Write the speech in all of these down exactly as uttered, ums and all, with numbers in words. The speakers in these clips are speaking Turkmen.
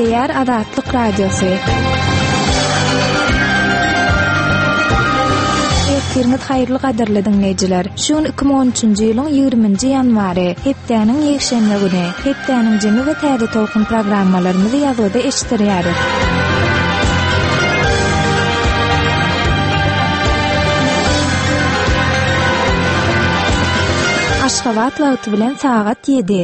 Gepleýär Azatlyk Radiosy. Ertiriňiz haýyrly gadyrly diňleýjiler. Şu gün iki müň on üçünji ýylyň ýigriminji ýanwary, hepdäniň ýekşenbe güni. Hepdäniň jemi we täze tolkun programmalarymyzy ýazgyda eşitdirýäris. Aşgabat wagty bilen sagat ýedi.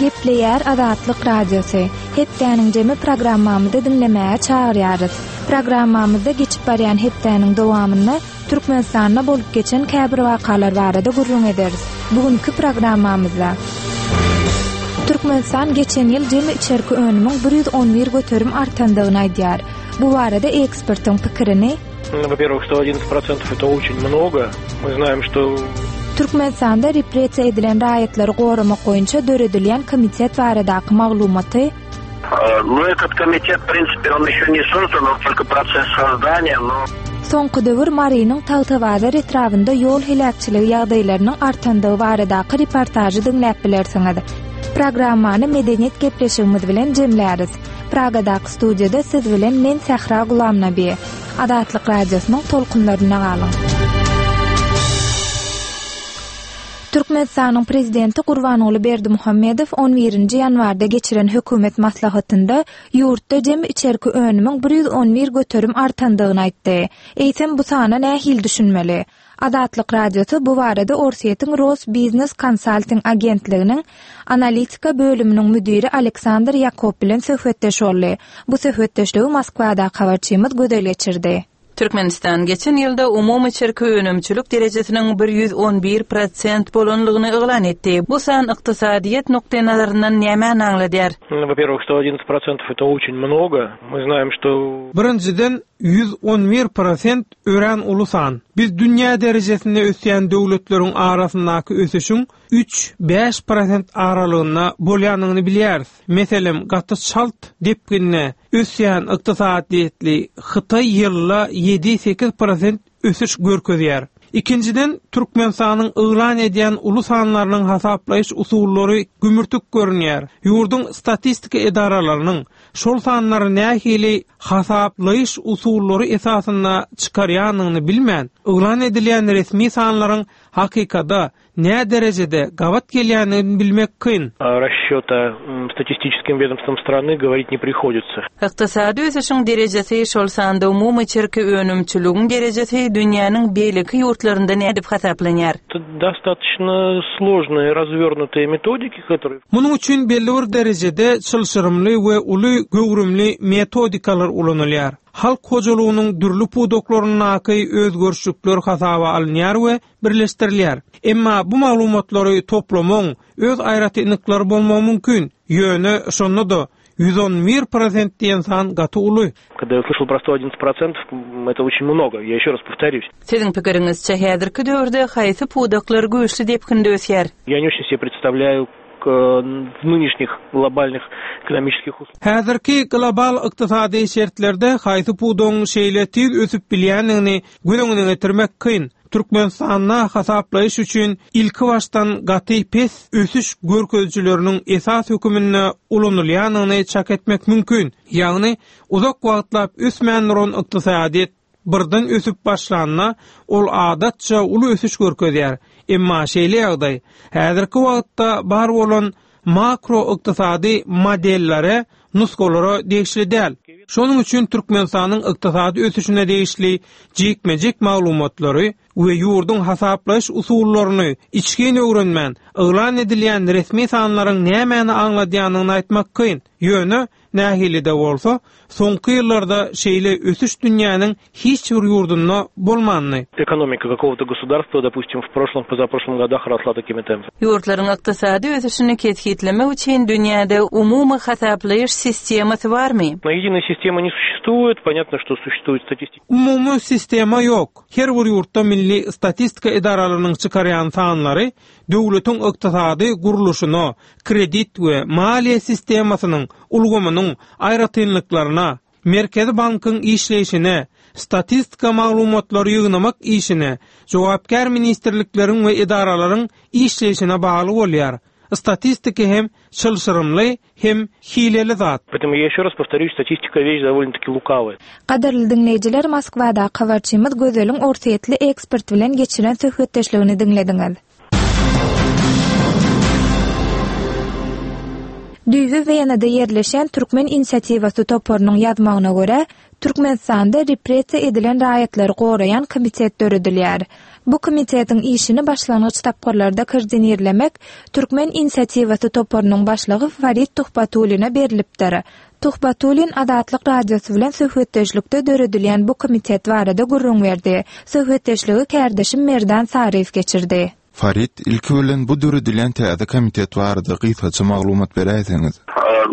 Gepleýär Azatlyk Radiosy. Hepdäniň jemi programmamyzy diňlemäge çagyrýarys. Programmamyzda geçip barýan hepdäniň dowamynda Türkmenistanda bolup geçen käbir wakalar barada gürrüň ederis. Bugünkü programmamyzda Türkmenistan geçen ýyl jemi içerki önümiň bir ýüz on bir göterim artandygyny aýdýar. Bu barada ekspertiň pikirini Во-первых, сто одиннадцать процентов это очень много. Мы знаем, что Türkmenistanda repressiýa edilen raýatlary goramak boýunça döredilýän komitet baradaky maglumaty Ну, этот komitet, в принципе, он еще не создан, он только процесс создания, но Soňky döwür Marynyň Tagtabazar etrabynda ýol heläkçiligi ýagdaýlarynyň artandygy baradaky reportažy diňläp bilersiňiz. Programmany medeniýet gepleşigimiz bilen jemläris. Pragadaky studiýada siz bilen men Sähra Gulamnabi. Azatlyk Radiosynyň tolkunlaryna galyň. Türkmenistanyň prezidenti Gurbanguly Berdimuhamedow on birinji ýanwarda geçiren hökümet maslahatynda ýurtda jemi içerki önümiň bir ýüz on bir göterim artandygyny aýtdy. Eýsem bu sana nähili düşünmeli? Azatlyk Radiosy bu barada Orsýetiň Ros Business Consulting agentliginiň analitika bölüminiň müdiri Aleksandr Ýakob bilen söhbetdeş boldy. Bu söhbetdeşligi Moskwadaky habarçymyz Gözel geçirdi. Türkmenistan geçen ýylda umumy içerki önümçilik derejesiniň bir ýüz on bir prosent bolanlygyny yglan etdi. Bu san ykdysadyýet nukdaý nazaryndan nämäni aňladýar? Во-первых, сто одиннадцать процентов это очень много. Мы знаем, что Birinjiden ýüz on bir prosent örän uly san. Biz dünýä derejesinde ösýän döwletleriň arasyndaky ösüşiň üç bäş prosent aralygynda bolýanyny bilýäris. Meselem, gaty çalt depginle ösýän ykdysadyýetli Hytaý ýylda ýedi sekiz prosent ösüş görkezýär. Ikinjiden, Türkmenistanyň yglan edýän uly sanlarynyň hasaplaýyş usullary gümürtik görünýär. Ýurduň statistika edaralarynyň şol sanlary nähili hasaplaýyş usullary esasynda çykarýanyny bilmän, yglan edilýän resmi sanlaryň hakykada nä derejede gabat gelýänini bilmek kyn. Расчета, м, статистическим ведомством страны говорить не приходится. Ykdysady ösüşiň derejesi şol sanda umumy içerki önümçiligiň derejesi dünýäniň beýleki ýurtlarynda nädip hasaplanýar? Это достаточно сложные, развернутые metodiki, которые Munuň üçin belli bir derejede çylşyrymly we uly göwrümli metodikalar ulanylýar. Halk hojalygynyň dürli pudaklaryndaky özgerişlikler hasaba alynýar we birleşdirilýär. Emma bu maglumatlary toplamagyň öz aýratynlyklary bolmagy mümkin. Ýöne şonda da ýüz on bir prosent diýen san gaty uly. Когда я услышал про сто одиннадцать процентов, это очень много. Я еще раз повторюсь. Siziň pikiriňizçe häzirki döwürde haýsy pudaklar güýçli depginde ösýär? Я не очень себе представляю к, в нынешних глобальных экономических условиях. Häzirki global ykdysady şertlerde haýsy pudagyň şeýle tiz ösüp bilýändigini göz öňüne getirmek kyn. Türkmenistanda hasaplaýyş üçin ilki başdan gaty pes ösüş görkezijileriniň esas höküminde ulanylýanyny çak etmek mümkin. Ýagny uzak wagtlap ösmän duran ykdysadyýet birden ösüp başlanda ol adatça uly ösüş görkezýär. Emma şeýle ýagdaý häzirki wagtda bar bolan makro ykdysady modellere, nusgalara degişli däl. Şonuň üçin Türkmenistanyň ykdysady ösüşine degişli jikme-jik maglumatlary we ýurduň hasaplaýyş usullaryny içgin öwrenmän, yglan edilýän resmi sanlaryň nämäni aňladýanyny aýtmak kyn. Ýöne nähili-de bolsa, soňky ýyllarda şeýle ösüş dünýäniň hiç bir ýurdunda bolmandy. Экономика какого-то государства, допустим, в прошлом, позапрошлом годах росла такими темпами. Ýurtlaryň ykdysady ösüşini kesgitlemek üçin dünýäde umumy hasaplaýyş sistemasy barmy? Но единой системы не существует, понятно, что существует статистика. Umumy sistema ýok. Her bir ýurtda milli statistika edaralarynyň çykarýan sanlary döwletiň ykdysady gurluşyna, kredit we maliýe sistemasynyň ulgamynyň aýratynlyklaryna, Merkezi bankyň işleýşine, Statistika maglumatlary ýygnamak işine jogapkär ministrlikleriň we edaralaryň işleýşine bagly bolýar. Statistika hem çylşyrymly hem hileli zat. Поэтому я еще раз повторюсь, statistika вещь довольно-таки лукавая. Gadyrly diňleýjiler, Moskwada habarçymyz Gözeliň Orsýetli ekspert bilen geçiren söhbetdeşligini diňlediňiz. Düýbi Wenada ýerleşen Türkmen inisiatiwasy toparynyň ýazmagyna görä, Türkmenistanda repressiýa edilen raýatlary goraýan komitet döredilýär. Bu komitetiň işini başlangyç tapgyrlarda koordinirlemek Türkmen inisiatiwasy toparynyň başlygy Farid Tuhbatullina berilipdir. Tuhbatullin Azatlyk Radiosy bilen söhbetdeşlikde döredilýän bu komitet barada gürrüň berdi. Söhbetdeşligi kärdeşim Merdan Saryýew geçirdi. Farid, ilki bilen bu döredilen täze komitet barada gysgaça maglumat beräýseňiz.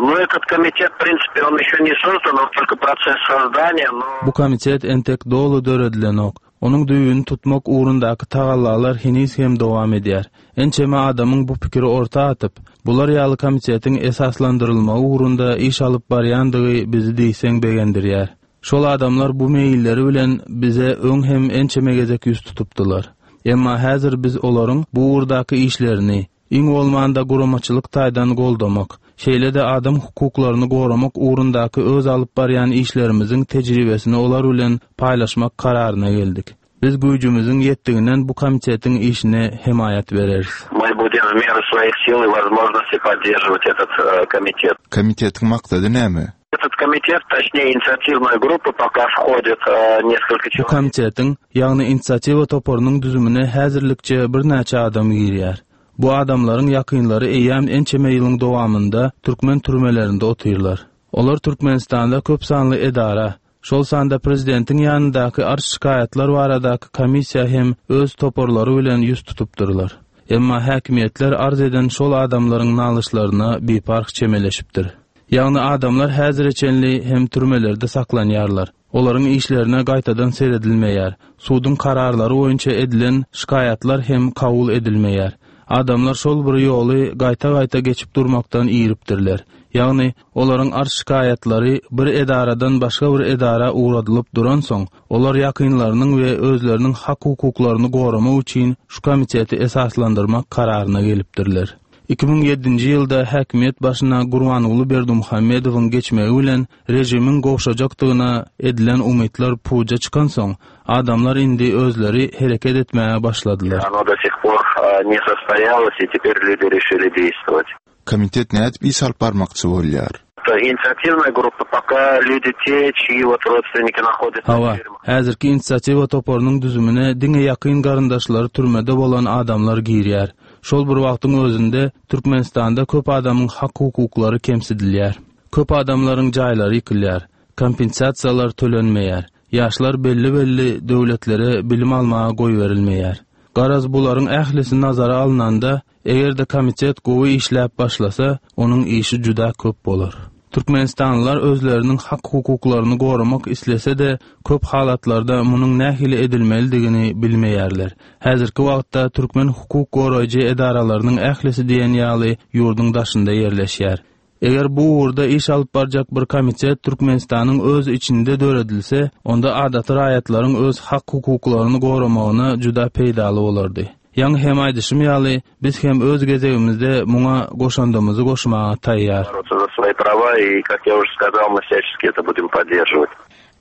Ну, этот комитет, в принципе, он еще не создан, он только процесс создания, но... Bu komitet entek doly döredilenok. Onuň düýbüni tutmak ugrundaky tagallalar heniz hem dowam edýär. Ençeme adamyň bu pikiri orta atyp, bular ýaly komitetiň esaslandyrylmagy ugrunda iş alyp barýandygy bizi diýseň begendirýär. Şol adamlar bu meýilleri bilen bize öň hem ençeme gezek ýüz tutupdylar. Emma häzir biz olaryň bu ugurdaky işlerini iň bolmanda guramaçylyk taýdan goldamak, şeýle-de adam hukuklaryny goramak ugrundaky öz alyp barýan işlerimiziň tejribesini olar bilen paýlaşmak kararyna geldik. Biz güýjümiziň ýetdiginden bu komitetiň işine hemaýat bereris. Мы будем в меру своих сил и возможностей поддерживать этот э, комитет. Komitetiň maksady näme? Этот комитет, точнее инициативная группа, пока входит э, несколько Bu человек. komitetiň, ýagny inisiatiwa toparynyň düzümine häzirlikçe birnäçe adam girýär. Bu adamlaryň ýakynlary eýýäm ençeme ýylyň dowamynda türkmen türmelerinde otyrlar. Olar Türkmenistanda köp sanly edara, şol sanda prezidentiň ýanyndaky arz şikaýatlar baradaky komissiýa hem öz toparlary bilen ýüz tutupdyrlar. Emma häkimiýetler arz eden şol adamlaryň nalyşlaryna biparh çemeleşipdir. Ýagny adamlar häzire çenli hem türmelerde saklanýarlar. Olaryň işlerine gaýtadan seredilmeýär. Suduň kararlary boýunça edilen şikaýatlar hem kabul edilmeýär. Adamlar şol bir ýoly gaýta-gaýta geçip durmakdan iripdirler. Ýagny olaryň arz şikaýatlary bir edaradan başga bir edara ugradylyp duransoň, olar ýakynlarynyň we özleriniň hak hukuklaryny goramak üçin şu komiteti esaslandyrmak kararyna gelipdirler. iki müň ýedinji ýylda häkimiýet başyna Gurbanguly Berdimuhamedowyň geçmegi bilen režimiň gowşajakdygyna edilen umytlar puja çykansoň, adamlar indi özleri hereket etmäge başladylar. Оно до сих пор э, не состоялось, и теперь люди решили действовать. Komitet nädip iş alyp barmakçy bolýar? Это инициативная группа, пока люди те, чьи вот родственники находятся Hawa, в тюрьмах. häzirki inisiatiwa toparynyň düzümine diňe ýakyn garyndaşlary türmede bolan adamlar girýär. Şol bir wagtyň özünde Türkmenistanda köp adamyň hak hukuklary kemsidilýär. Köp adamlaryň jaýlary ýykylýar, kompensasiýalar tölenmeýär. Ýaşlar belli-belli döwletlere bilim almaga goý berilmeýär. Garaz bularyň ählisi nazara alnanda, eger-de komitet gowy işläp başlasa, onuň işi juda köp bolar. Türkmenistanlylar özleriniň hak hukuklaryny goramak islese-de, köp halatlarda munuň nähili edilmelidigini bilmeýärler. Häzirki wagtda türkmen hukuk goraýjy edaralarynyň ählisi diýen ýaly ýurduň daşynda ýerleşýär. Eger bu ugurda iş alyp barjak bir komitet Türkmenistanyň öz içinde döredilse, onda adaty raýatlaryň öz hak hukuklaryny goramagyna juda peýdaly bolardy. Ýaňy hem aýdyşym ýaly, biz hem öz gezegimizde muňa goşandymyzy goşmaga taýýar. Бороться за свои права, и, как я уже сказал, мы всячески это будем поддерживать.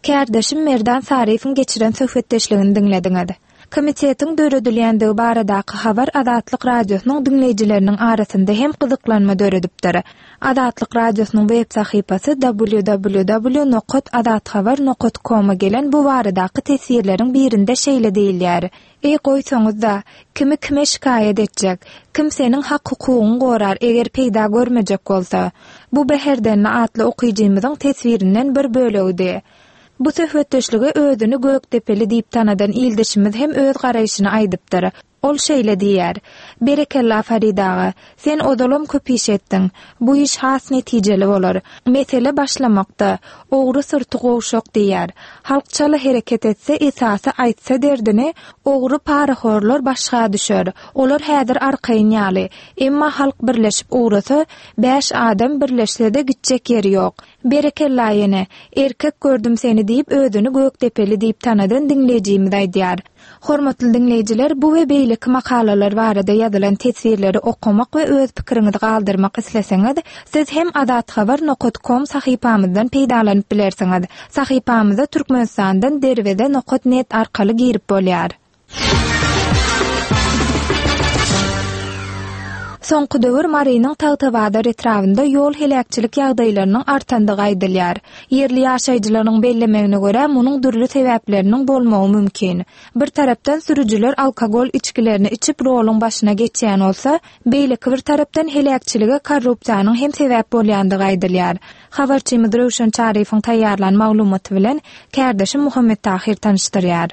Kärdeşim Merdan Saryýewiň geçiren söhbetdeşligini diňlediňiz. Komitetiň döredilýändigi baradaky habar Azatlyk Radiosynyň diňleýjileriniň arasynda hem gyzyklanma döredipdir. Azatlyk Radiosynyň web sahypasy w w w nokta azathabar nokta com-a gelen bu baradaky teswirleriň birinde şeýle diýilýär. Ey goýsaňyz da, kimi kime şikaýat etjek? Kim seniň hak hukugyňy gorar eger peýda görmejek bolsa? Bu Beherdenli atly okyjymyzyň teswirinden bir bölegidi. Bu söhbetdeşlige özüni Gökdepeli diýip tanadan ildeşimiz hem öz garaýşyny aýdypdyr. Ol şeýle diýýär: Berekella Farid aga, sen ozalam köp iş etdiň. Bu iş has netijeli bolar. Mesele başlamakda, ogry syrty gowşak diýýär. Halk çala hereket etse, esasy aýtsa derdini, ogry parahorlar başga düşer. Olar häzir arkaýyn ýaly. Emma halk birleşip ugrasa, bäş adam birleşse-de gitjek ýeri ýok. Berekella ýene, erkek gördüm seni diýip özüni Gökdepeli diýip tanadan diňleýjimiz aýdýar. Hormatly diňleýjiler, bu we beýleki makalalar barada ýazylan teswirleri okamak we öz pikiriňizi galdyrmak isleseňiz, siz hem azathabar nokta com sahypamyzdan peýdalanyp bilersiňiz. Sahypamyza Türkmenistandan derweze nokta net arkaly girip bolýar. Soňky döwür Marynyň Tagtabazar etrabynda ýol heläkçilik ýagdaýlarynyň artandygy aýdylýar. Ýerli ýaşaýjylaryň bellemegine görä, munuň dürli sebäpleriniň bolmagy mümkin. Bir tarapdan sürüjiler alkogol içgilerini içip roluň başyna geçýän bolsa, beýleki bir tarapdan heläkçilige korrupsiýanyň hem sebäp bolýandygy aýdylýar. Habarçymyz Röwşen Çaryýewiň taýýarlan maglumaty bilen kärdeşim Muhammet Tahir tanyşdyrýar.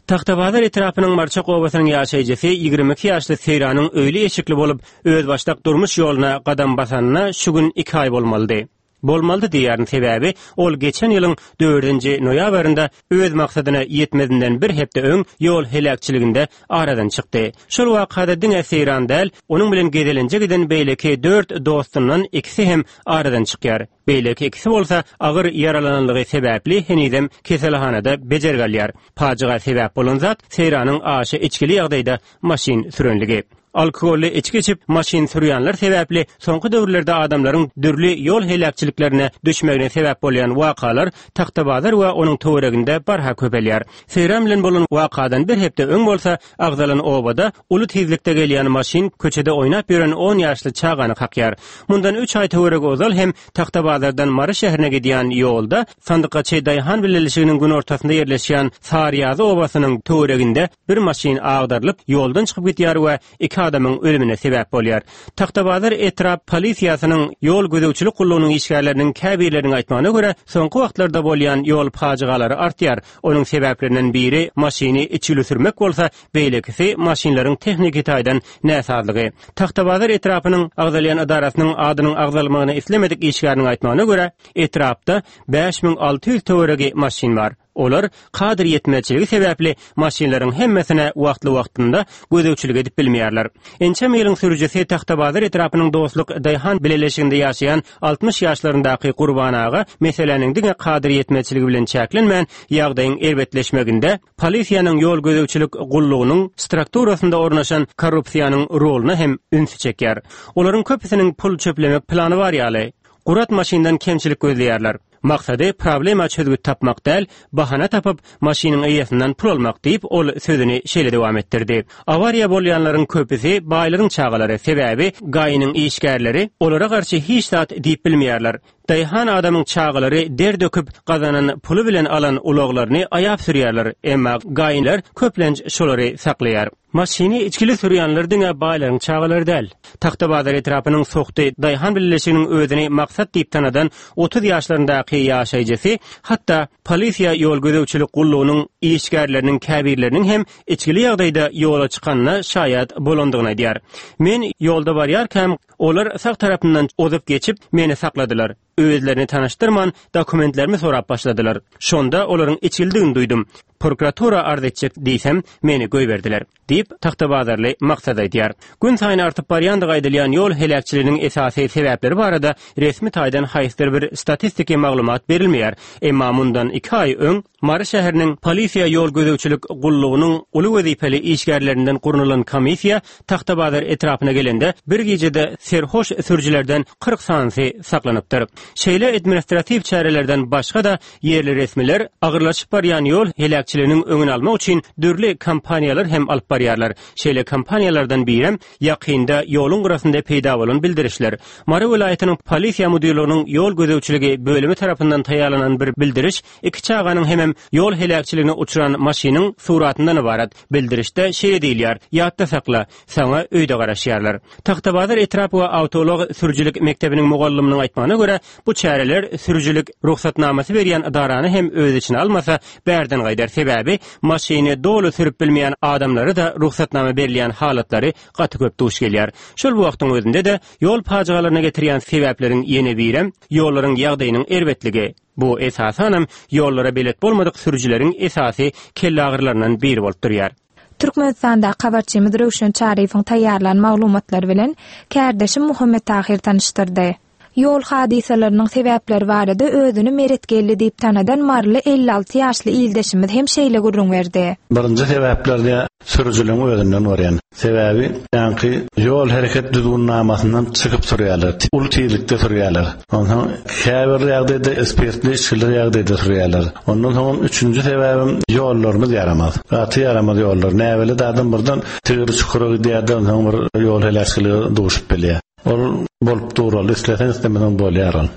Tagtabazar etrapynyň Marçak obasynyň ýaşaýjysy ýigrimi iki ýaşly Seýranyň öýli eşikli bolup, özbaşdak durmuş ýoluna gadam basanyna şu gün iki aý bolmalydy. Bolmalydy diýýärin, sebäbi ol geçen ýylyň dördünji noýabrynda öz maksadyna ýetmezinden bir hepde öň ýol heläkçiliginde aradan çykdy. Şol wakada diňe Seýran däl, onuň bilen gezelenje giden beýleki dört dostundan ikisi hem aradan çykýar. Beýleki ikisi bolsa agyr ýaralananlygy sebäpli henizem keselhanada bejergi alýar. Pajyga sebäp bolan zat Seýranyň aşa içgili ýagdaýda maşyn sürenligi. Alkogolly içgi içip maşyn sürýänler sebäpli soňky döwürlerde adamlaryň dürli ýol heläkçiliklerine düşmegine sebäp bolýan wakalar Tagtabazar we onuň töwereginde barha köpelýär. Seýran bilen bolan wakadan bir hepde öň bolsa agzalan obada uly tizlikde gelýän maşyn köçede oýnap ýören on ýaşly çagany kakýar. Mundan üç aý töweregi ozal hem Tagtabazardan Mary şäherine gidýän ýolda Sandykaçy Daýhan bileleşiginiň günortasynda ýerleşýän Saryýazy obasynyň töwereginde bir maşyn agdarylyp ýoldan çykyp gidýär we iki adamyň ölümine sebäp bolýar. Tagtabazar etrap polisiýasynyň ýol gözegçilik gullugynyň işgärleriniň käbirleriniň aýtmagyna görä, soňky wagtlarda bolýan ýol pajygalary artýar. Onuň sebäplerinden biri maşyny içgili sürmek bolsa, beýlekisi maşynlaryň tehniki taýdan näsazlygy. Tagtabazar etrapynyň agzalýan edarasynyň adynyň agzalmagyny islemedik işgäriniň aýtmagyna görä, etrapda bäş müň alty ýüz töweregi maşyn bar. Olar kadr ýetmezçiligi sebäpli maşynlaryň hemmesine wagtly-wagtynda gözegçilik edip bilmeýärler. Ençeme ýylyň sürüjisi Tagtabazar etrapynyň Dostluk Daýhan bileleşiginde ýaşaýan altmyş ýaşlaryndaky Gurban aga meseläniň diňe kadr ýetmezçiligi bilen çäklenmän, ýagdaýyň erbetleşmeginde polisiýanyň ýol gözegçilik gullugynyň strukturasynda ornaşan korrupsiýanyň roluna hem ünsi çekýär. Olaryň köpüsiniň pul çöplemek plany bar ýaly. Gurat maşyndan kemçilik gözleýärler. Maksady problema çözgüt tapmak däl, bahana tapyp maşynyň eýesinden pul almak diýip, ol sözüni şeýle dowam etdirdi. Awariýa bolýanlaryň köpüsi baýlaryň çagalary, sebäbi gaýynyň işgärleri olara garşy hiç zat diýip bilmeýärler. Daýhan adamyň çagalary der döküp gazanan puly bilen alan ulaglaryny aýap sürýärler, emma gaýynlar köplenç şolary saklaýar. Maşyny içgili sürýänler diňe baýlaryň çagalary däl. Tagtabazar etrapynyň Sohty Daýhan bileleşiginiň özüni maksat diýip tanadan otuz ýaşlaryndaky ýaşaýjysy, hatda polisiýa ýol gözegçilik gullugynyň işgärleriniň käbirleriniň hem içgili ýagdaýda ýola çykanyna şaýat bolandygyny aýdýar. Men ýolda barýarkam, olar sag tarapyndan ozup geçip, meni sakladylar. Özlerini tanyşdyrman, dokumentlerimi sorap başladylar. Şonda olaryň içgilidigini duýdum. Prokuratura arz etjek diýsem, meni goýberdiler, diýip, Tagtabazarly maksat aýdýar. Gün saýyn artyp barýandygy aýdylýan ýol heläkçiliginiň esasy sebäpleri barada resmi taýdan haýsydyr bir statistiki maglumat berilmeýär. Emma mundan iki aý öň Mary şäheriniň polisiýa ýol gözegçilik gullugynyň uly wezipeli işgärlerinden gurnalan komissiýa Tagtabazar etrapyna gelende bir gijede serhoş sürüjilerden kyrk sanysy saklanypdyr. Şeýle administratiw çärelerden başga da ýerli resmiler agyrlaşyp barýan ýol heläkçiliginiň öňüni almak üçin dürli kampaniýalar hem alyp barýarlar. Şeýle kampaniýalardan birem ýakynda ýoluň gyrasynda peýda bolan bildirişler. Mary welaýatynyň polisiýa müdirliginiň ýol gözegçiligi bölümi tarapyndan taýýarlanan bir bildiriş iki çaganyň hemem ýol heläkçiligine uçran maşynyň suratyndan ibarat. Bildirişde şeýle diýilýär: Ýatda sakla, saňa öýde garaşýarlar. Tagtabazar etrap we awtoulag sürüjilik mekdebiniň mugallymynyň aýtmagyna görä, Bu çäreler sürüjilik rugsatnamasy berýän ydarany hem öz içine almasa bärden gaýdar. Sebäbi maşyny doly sürüp bilmeýän adamlara da rugsatnama berilýän halatlary gaty köp duş gelýär. Şol wagtyň özünde de ýol pajygalaryna getirýän sebäpleriň ýene birem ýollaryň ýagdaýynyň erbetligi. Bu esasanam ýollara belet bolmadyk sürüjileriň esasy kellagyrlaryndan biri bolup durýar. Türkmenistanda habarçymyz Röwşen Çaryýewiň taýýarlan maglumatlary bilen kärdeşim Muhammet Tahir tanyşdyrdy. Ýol hadysalarynyň sebäpleri barada özüni Meretgeldi diýip tanadan Marly elli alty ýaşly ildeşimiz hem şeýle gürrüň berdi. Birinji sebäplerde sürüjiligiň özünden görýän. Sebäbi ýaňky ýol hereket düzgünnamasyndan çykyp sürýärler. Uly tizlikde sürýärler. Ondan käbir ýagdaýda spirtli içgiler ýagdaýda sürýärler. Ondan soň üçünji sebäbim ýollarymyz ýaramaz. Gaty ýaramaz ýollar. Näbeli adam birden tigir çukura gidýär, ondan bir ýol heläkçilige duşup bilýär. Ol bolup duraly, isleseň islemeseň bolýar ol.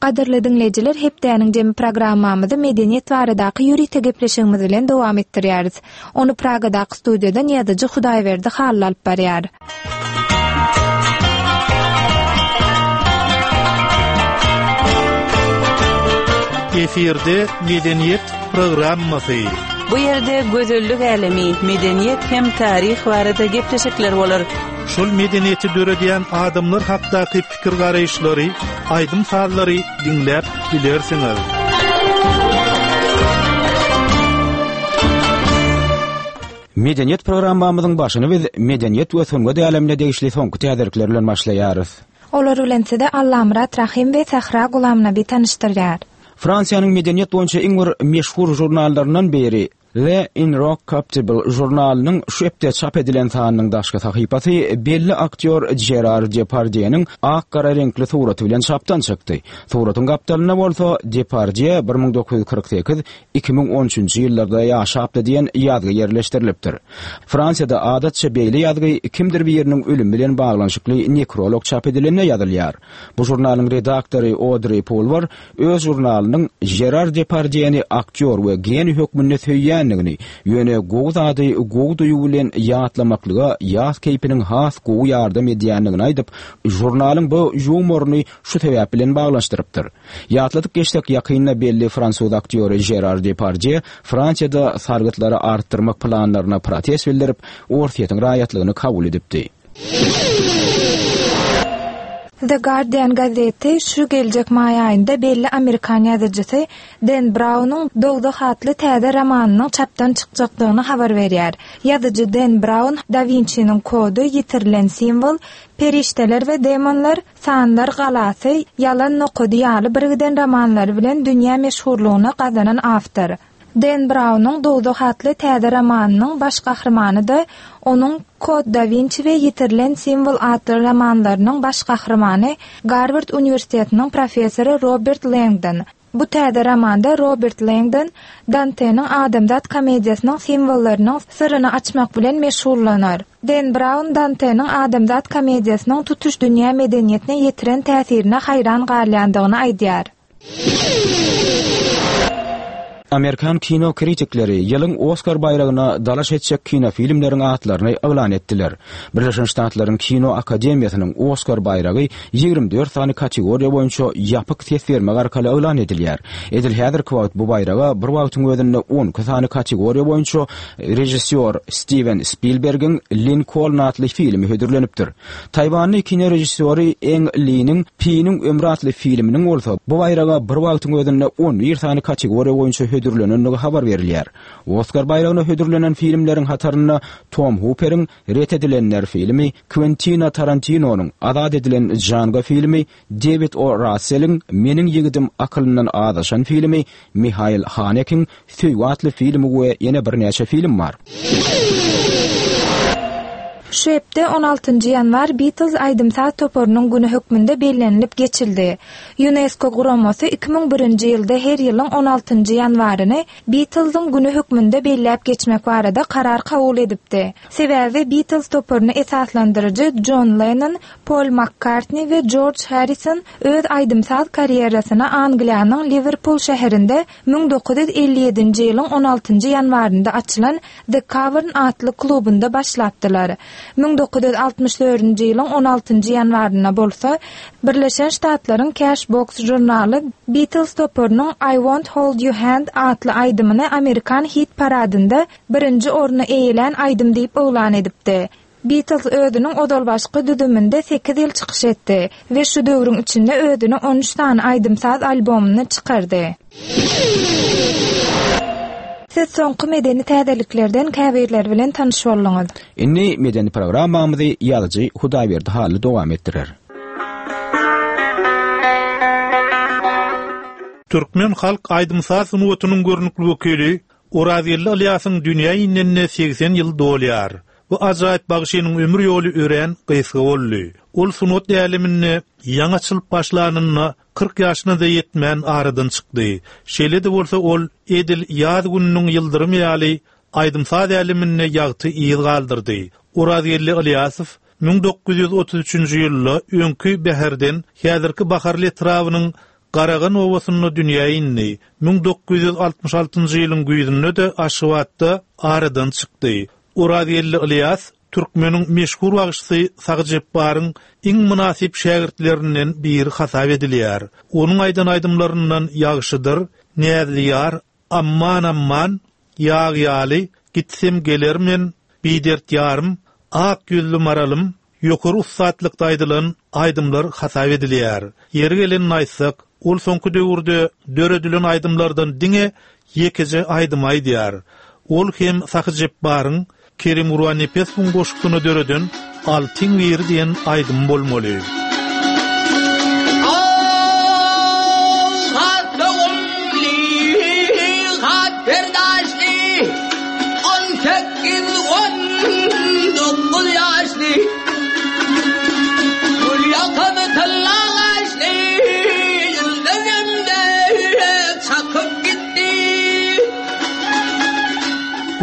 Gadyrly diňleýjiler, hepdäniň jemi programmamyzy medeniýet baradaky ýörite gepleşigimiz bilen dowam etdirýäris. Ony Pragadaky studiýadan ýazyjy Hudaýberdi Hally alyp barýar. Efirde medeniýet programmasy. Bu ýerde gözellik älemi, medeniýet hem taryh barada gepleşikler bolar. Şol medeniýeti döredýän adamlar hakdaky pikir garaýyşlary, aýdym sazlary diňläp bilersiňiz. Medeniýet programmamyzyň başyny biz medeniýet we sungat älemine degişli soňky täzelikler bilen başlaýarys. Olar bilen size Allamyrat Rahim we Sahra Gulamnabi tanyşdyrýar. Fransiýanyň medeniýet boýunça iň bir meşhur žurnallaryndan biri Le Inrockuptible žurnalynyň şu hepde çap edilen sanynyň daşky sahypasy belli aktýor Gerard Depardieu-niň ak-gara reňkli suraty bilen çapdan çykdy. Suratyň gapdalynda bolsa Depardieu bir müň dokuz ýüz kyrk sekiz iki müň on üçünji ýyllarda ýaşapdy diýen ýazgy ýerleşdirilipdir. Fransiýada adatça beýle ýazgy kimdir biriniň ölümi bilen baglanyşykly nekrolog çap edilende ýazylýar. Bu žurnalyň redaktory Audrey Pulvar öz žurnalynyň Gerard Depardieu-ni aktýor we geniý hökmünde söýýändigini, ýöne gowy zady gowy duýgy bilen ýatlamaklyga ýaz keýpiniň has gowy ýardam edýändigini aýdyp, žurnalyň bu ýumoryny şu sebäp bilen baglanyşdyrypdyr. Ýatladyk geçsek ýakynda belli fransuz aktýory Gerard Depardieu Fransiýada sargytlary artdyrmak planlaryna protest bildirip, Orsýetiň raýatlygyny kabul edipdi. The Guardian gazeti şu geljek maý aýynda belli Amerikan ýazyjysy Dan Brownyň Dowzah atly täze romanynyň çapdan çykjakdygyny habar berýär. Ýazyjy Dan Brown Da Vinci'niň kody, ýitirilen simwol, perişdeler we demonlar, sanlar galasy, ýalan nokady ýaly birgiden romanlary bilen dünýä meşhurlygyny gazanan awtor. Dan Brownyň Dowzah atly täze romanynyň baş gahrymany da onuň Kod Da Vinci we ýitirilen simwol atly romanlarynyň baş gahrymany Garward uniwersitetiniň professory Robert Langdon. Bu täze romanda Robert Langdon Danteniň Adamzat komediýasynyň simwollarynyň syryny açmak bilen meşgullanar. Dan Brown Danteniň Adamzat komediýasynyň tutuş dünýä medeniýetine ýetiren täsirine haýran galýandygyny aýdýar. Amerikan kino kritikleri ýylyň Oskar baýragyna dalaş etjek kino filmleriň atlaryny yglan etdiler. Birleşen Ştatlaryň Kino Akademiýasynyň Oskar baýragy ýigrimi dört sany kategoriýa boýunça ýapyk ses bermek arkaly yglan edilýär. Edil häzirki wagt bu baýraga bir wagtyň özünde on iki sany kategoriýa boýunça režissýor Steven Spielbergiň Lincoln atly filmi hödürlenipdir. Taýwanly kino režissýory Ang Lee'niň Piniň ömri atly filminiň bolsa bu baýraga bir wagtyň özünde on bir sany kategoriýa boýunça hödürlenendigi habar berilýär. Oskar baýragyna hödürlenen filmleriň hatarynda Tom Hooper'iň Ret edilenler filmi, Quentin Tarantino'nyň Azat edilen Django filmi, David O. Russell'iň Meniň ýigidim akylyndan azaşan filmi, Mihail Haneke'iň Söýgi atly filmi we ýene birnäçe film bar. Şu hepde on altynjy ýanwar Beatles aýdym-saz toparynyň güni hökmünde bellenilip geçildi. UNESCO guramasy iki müň birinji ýylda her ýylyň on altynjy ýanwaryny Beatlesiň güni hökmünde belläp geçmek barada karar kabul edipdi. Sebäbi Beatles toparyny esaslandyryjy John Lennon, Paul McCartney we George Harrison öz aýdym-saz karýerasyny Angliýanyň Liverpool şäherinde müň dokuz ýüz elli ýedinji ýylyň on altynjy ýanwarynda açylan The Cavern atly klubunda başlapdylar. müň dokuz ýüz altmyş dördünji ýylyň on altynjy ýanwarynda bolsa Birleşen Ştatlaryň Cashbox žurnaly Beatles toparynyň I Won't Hold You Hand atly aýdymyny Amerikan hit paradynda birinji orny eýelän aýdym diýip yglan edipdi. Beatles özüniň ozalbaşky düzüminde sekiz ýyl çykyş etdi we şu döwrüň içinde özüni on üç sany aýdym-saz albomyny çykardy. Siz soňky medeni täzeliklerden käbirleri bilen tanyş bolduňyz. Indi medeni programmamyzy ýazyjy Hudaýberdi Hally dowam etdirer. Türkmen halk aýdym-saz sungatynyň görnükli wekili Orazgeldi Ylýasyň dünýä inenine segsen ýyl dolýar. Bu ajaýyp bagşynyň ömür ýoly örän gysga boldy. Ol sungat äleminde ýaňy açylyp başlanynda kyrk ýaşyna da ýetmän aradan çykdy. Şeýle-de bolsa ol edil ýaz gününiň ýyldyrymy ýaly aýdym-saz äleminde ýagty yz galdyrdy. Orazgeldi Ylýasow müň dokuz ýüz otuz üçünji ýylda öňki Bäherden häzirki Baharly etrabynyň Garagan obasynda dünýä indi. Müň dokuz ýüz altmyş altynjy ýylyň güýzünde-de Aşgabatda aradan çykdy. Orazgeldi Ylýas türkmeniň meşhur bagşysy Sahy Jepbaryň iň mynasyp şägirtlerinden biri hasap edilýär. Onuň aýdan aýdymlaryndan Ýagşydyr, Näzli ýar, Amman amman, Ýag ýaly, Gitsem gelermen, Bidert ýarym, Ak ýüzli maralym, ýokary ussatlykda aýdylan aýdymlar hasap edilýär. Ýeri gelenini aýtsak, ol soňky döwürde döredilen aýdymlardan diňe ýekeje aýdym aýdýar. Ol hem Sahy Jepbaryň Kerim Gurbannepesowyň goşgusyny döreden Altyn biri diýen aýdym bolmaly.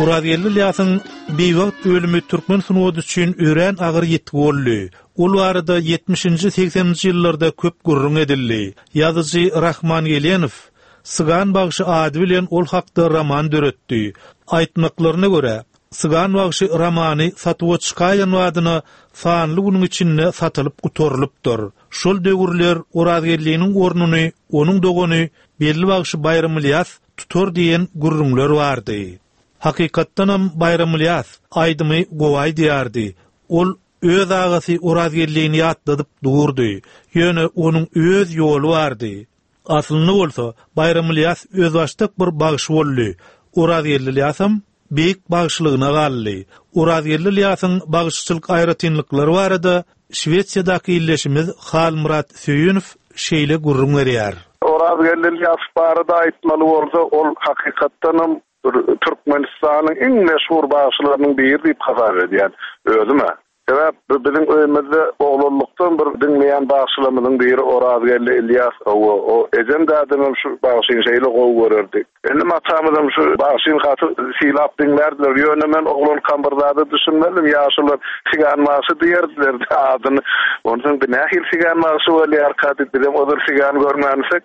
Orazgeldi Ylýasyň biwagt ölümi türkmen sungaty üçin örän agyr ýitgi boldy. Ol barada ýetmişinji, segseninji ýyllarda köp gürrüň edildi. Ýazyjy Rahman Gelenow Sygan bagşy ady bilen ol hakda roman döretdi. Aýtmaklaryna görä, Sygan bagşy romany satuwa çykaýan badyna sanly günüň içinde satylyp gutarylypdyr. Şol döwürler Orazgeldiniň ornuny onuň dogany belli bagşy Baýram Ylýas tutar diýen gürrüňler bardy. Hakykatdanam Baýram Ylýas aýdymy gowy aýdýardy. Ol öz agasy Orazgeldini ýatladyp durdy. Ýöne onuň öz ýoly bardy. Aslynda bolsa Baýram Ylýas özbaşdak bir bagşy boldy. Orazgeldi Ylýasam beýik bagşylygyna galdy. Orazgeldi Ylýasyň bagşyçylyk aýratynlyklary barada Şwesiýadaky illeşimiz Halmyrat Söýünow şeýle gürrüň berýär. Orazgeldi Ylýas barada aýtmaly bolsa, ol hakykatdanam Türkmenistanyň iň meşhur bagşylarynyň biri diýip hasap edýän özüme. Sebäp biziň öýümizde oglanlykdan bir diňleýän bagşylarymyzyň biri Orazgeldi Ylýas, o, o ejem dädemem şu bagşyny şeýle gowy görerdi. Indi matamyzam şu bagşyny gaty sylap diňlärdiler. Ýöne men oglankam bir zada düşünmedim. Ýaşular sigan bagşy diýerdiler adyny. Onsoň bir nähili sigan bagşy bolýarka diýip, bizem ozal sigan görmänsek,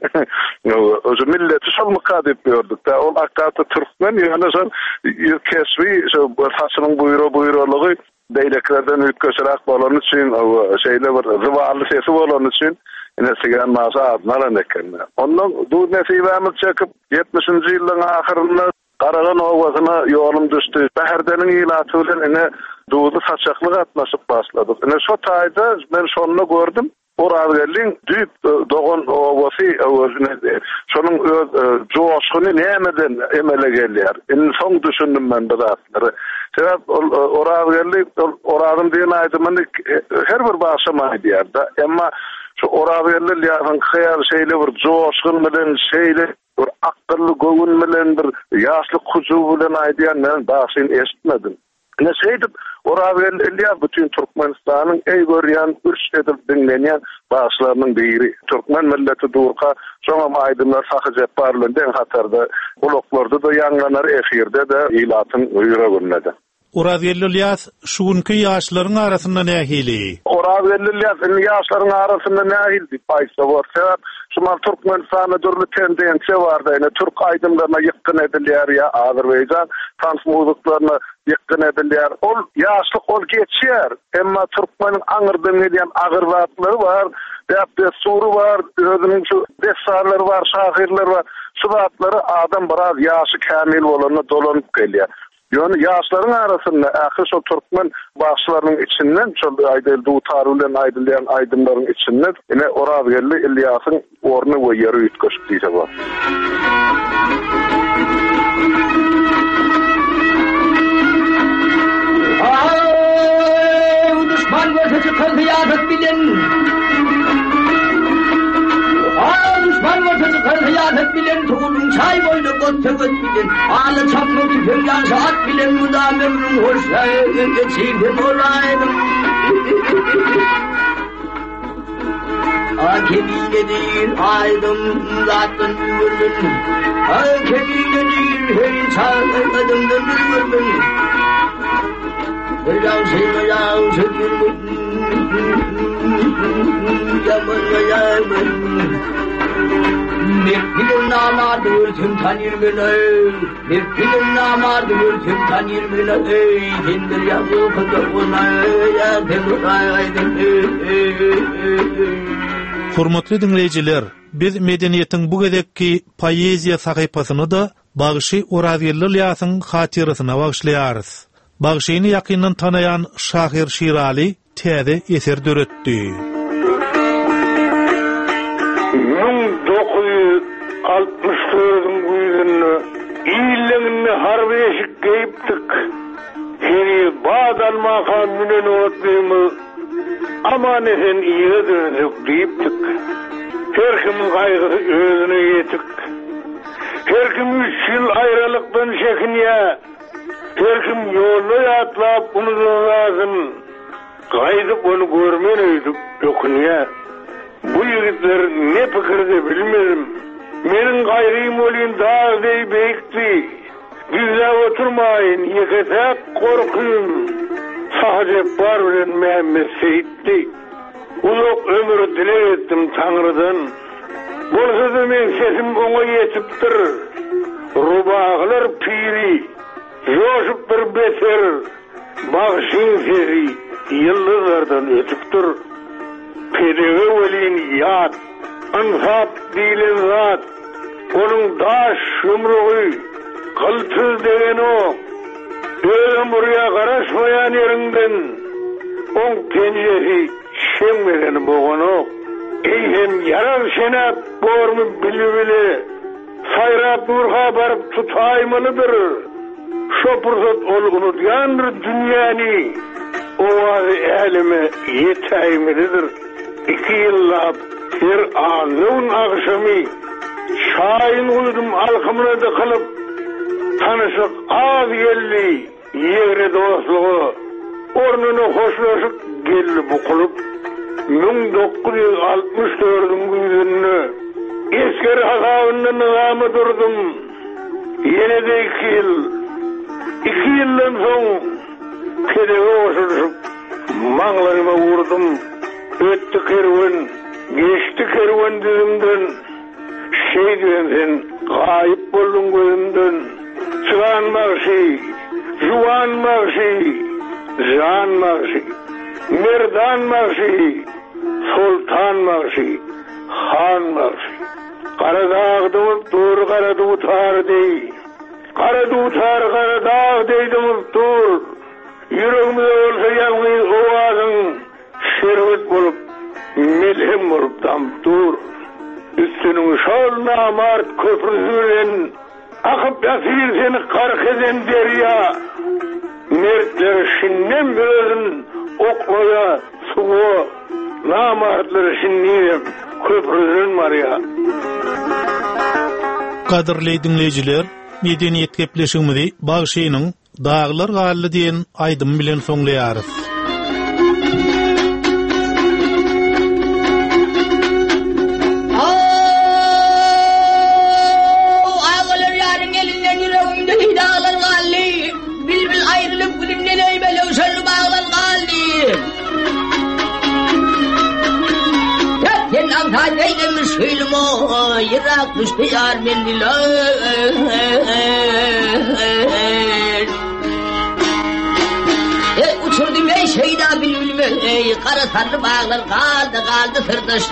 Özü milleti şolmyka diýip gördük-de. Ol hakykatda türkmen, ýöne şol ýüz keşbi, şo saçynyň buýra buýralygy beýlekilerden üýtgeşiräk bolany üçin, o şeýle bir zywally sesi bolany üçin ine sigan bagşy adyny alan eken. Ondan duz nesibämiz çekip ýetmişinji ýylyň ahyrynda Garagan obasyna ýolum düşdi. Bäherdeniň ilaty bilen ine duzly saçakly gatnaşyp başladyk. Ine şo taýda men şonda gördüm. Orazgeldiň düýp dogan obasy özüne şonuň öz joşguny nämeden emele gelýär. Indi soň düşündim men bu zatlary. Sebäp ol Orazgeldi ol Orazym diýen aýdymyny her bir bagşam aýdýar-da. Emma şu Orazgeldi Ylýasyň hyýaly şeýle bir joşgun bilen, şeýle bir akylly göwün bilen, bir ýaşlyk hujuw bilen aýdýan men bagşyny eşitmedim. Ne şeýdip Orazgeldi Ylýas bütün Türkmenistanyň eý görýän, ürç edip diňlenýän bagşylarynyň biri. Türkmen milleti durka, şoňam aýdymlar Sahy Jepbar bilen deň hatarda gulaklarda-da ýaňlanar, efirde-de, ilatyň ýüreginde-de. Orazgeldi Ylýas şu günki ýaşlaryň arasynda nähili? Orazgeldi Ylýas indi ýaşlaryň arasynda nähili diýip aýtsa bor. Sebäp şu mal Türkmenistanda dürli tendensiýa bar da, ine türk aýdymlaryna ýykgyn edilýär ýa Azerbaýjan tans muzyklaryna ýykgyn edilýär. Ol ýaşlyk ol geçýär. Emma türkmeniň aňyrdan gelýän agyr zatlary bar, däp-dessury bar, özüniň şu dessanlary bar, şahyrlary bar. Şu zatlary adam biraz ýaşy kämil bolanda dolanyp gelýär. Ýöne ýaşlaryň arasynda ähli şol türkmen bagşylarynyň içinden şol aýdyl dutar bilen aýdylýan aýdymlaryň içinden ine Orazgeldi Ylýasyň orny we ýeri üýtgeşik diýse bor. Ay, düşman görse çykar hyýatat bilen. Ay, düşman görse çykar hyýatat bilen, tuğulun çay boýda got töwet bilen. Ala çapma tüfeň ýaşa at bilen, mudam ömrüň hoş geçirdi bolaýdym. A kemine değil aydın zatdan görmün. A kemine değil hey çağırdımdan görmün. Mertliğin namardı ölsün tanır beni. Mertliğin namardı ölsün tanır beni. Ey sendir ya bu kızı ona ya Hormatly diňleýjiler, biz medeniýetiň bu gezekki poeziýa sahypasyny da Bagşy Orazgeldi Ylýasyň hatyrasyna bagyşlaýarys. Bagşyny ýakyndan tanaýan şahyr Şirali täze eser döretdi. Müň dokuz ýüz altmyş dördüň güýzünde illeňinde harby eşik geýipdik. Heniz bad almaka münen otlymyz aman esen ýere dönsek diýipdik. Her kimin gaýgysy özüne ýetik. Her kim üç ýyl aýralykdan çekinýä. Her kim ýolda ýatlap unudulmasyn. Gaýdyp ony görmen öýdüp ökünýä. Bu ýigitler ne pikirde bilmedim. Meniň gaýrym bolýan dag deý beýikdi. Gizläp oturmaýyn, ýeke-täk gorkym. Sahy Jepbar bilen Mehmet Seýitdi. Uzak ömür dileg etdim Taňrydan. Bolsa-da men sesim oňa ýetipdir. Rubagylar piri, joşup bir beter, bagşyň sesi ýyldyzlardan ötüpdir. Pelege welin ýat, ynsap diýlen zat, onuň daş ýumrugy gyltyz degenok. Özem buraya garaşmaýan ýeriňden, oň penjesi şeňmeden boganok. Eýsem ýarar şenäp bormy bili-bile, saýrap nurha baryp tutaýmalydyr. Şo pursat ol unudýandyr dünýäni, owazy äleme ýetäýmelidir. Iki ýyllap her anlyň agşamy şaýyn guýdum alkymyna dykylyp, tanyşlyk az geldi ýegre dostluga, ornuna hoşlaşyk geldi bukulyp. Müň dokuz ýüz altmyş dördüň güýzünde esger hasabynda nyzama durdum. Ýene de iki ýyl, iki ýyldan soň pelege goşulyşyp maňlaýyma vurdum. Ötdi kerwen, geçdi kerwen düzümden. Şeýdiren sen gaýyp bolduň gözümden. Çygan bagşy, juwan bagşy, jan bagşy, merdan bagşy, sultan bagşy, han bagşy. Gara dagda bolup dur, gara dutar deý. Gara dutar, gara dag deý bolup dur. Ýüregimde bolsa ýalňyz owazyň şerbet bolup, melhem bolup damyp dur. Üstüniň şol namart köprüsi bilen akyp ýatyr seni gark eden derýa. Mertler şindem özün oklaýa suwa, namartlar şindem köprüden barýa. Gadyrly diňleýjiler, medeniýet gepleşigimizi Bagşynyň Daglar galdy diýen aýdym bilen soňlaýarys. Ağalar ýaryň elinden ýüregimde daglar galdy. Bilbil aýrylyp gülünden Yrak düşdi ýar menzile. Ey uçurdum ey şeyda bülbülümü ey kara sarı bağlar kaldı kaldı sırdaş.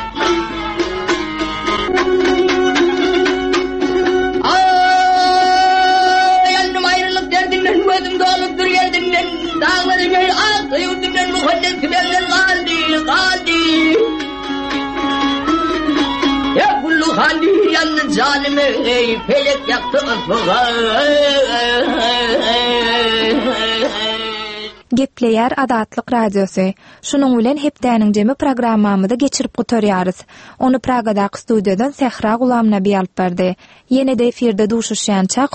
Ay yandım ayrılık derdinden gözüm dolup dur geldinden dağlarım ey aktı yurdumdan mukaddes tübemden kaldı kaldı. Ya kullu hali yandı canımı ey felek yaktı ıfığa. Gepleýär Azatlyk Radiosy. Şunuň bilen hepdäniň jemi programmamyzy geçirip gutarýarys. Ony Pragadaky studiýadan Sähra Gulamnabi alyp bardy. Ýene-de efirde duşuşýançak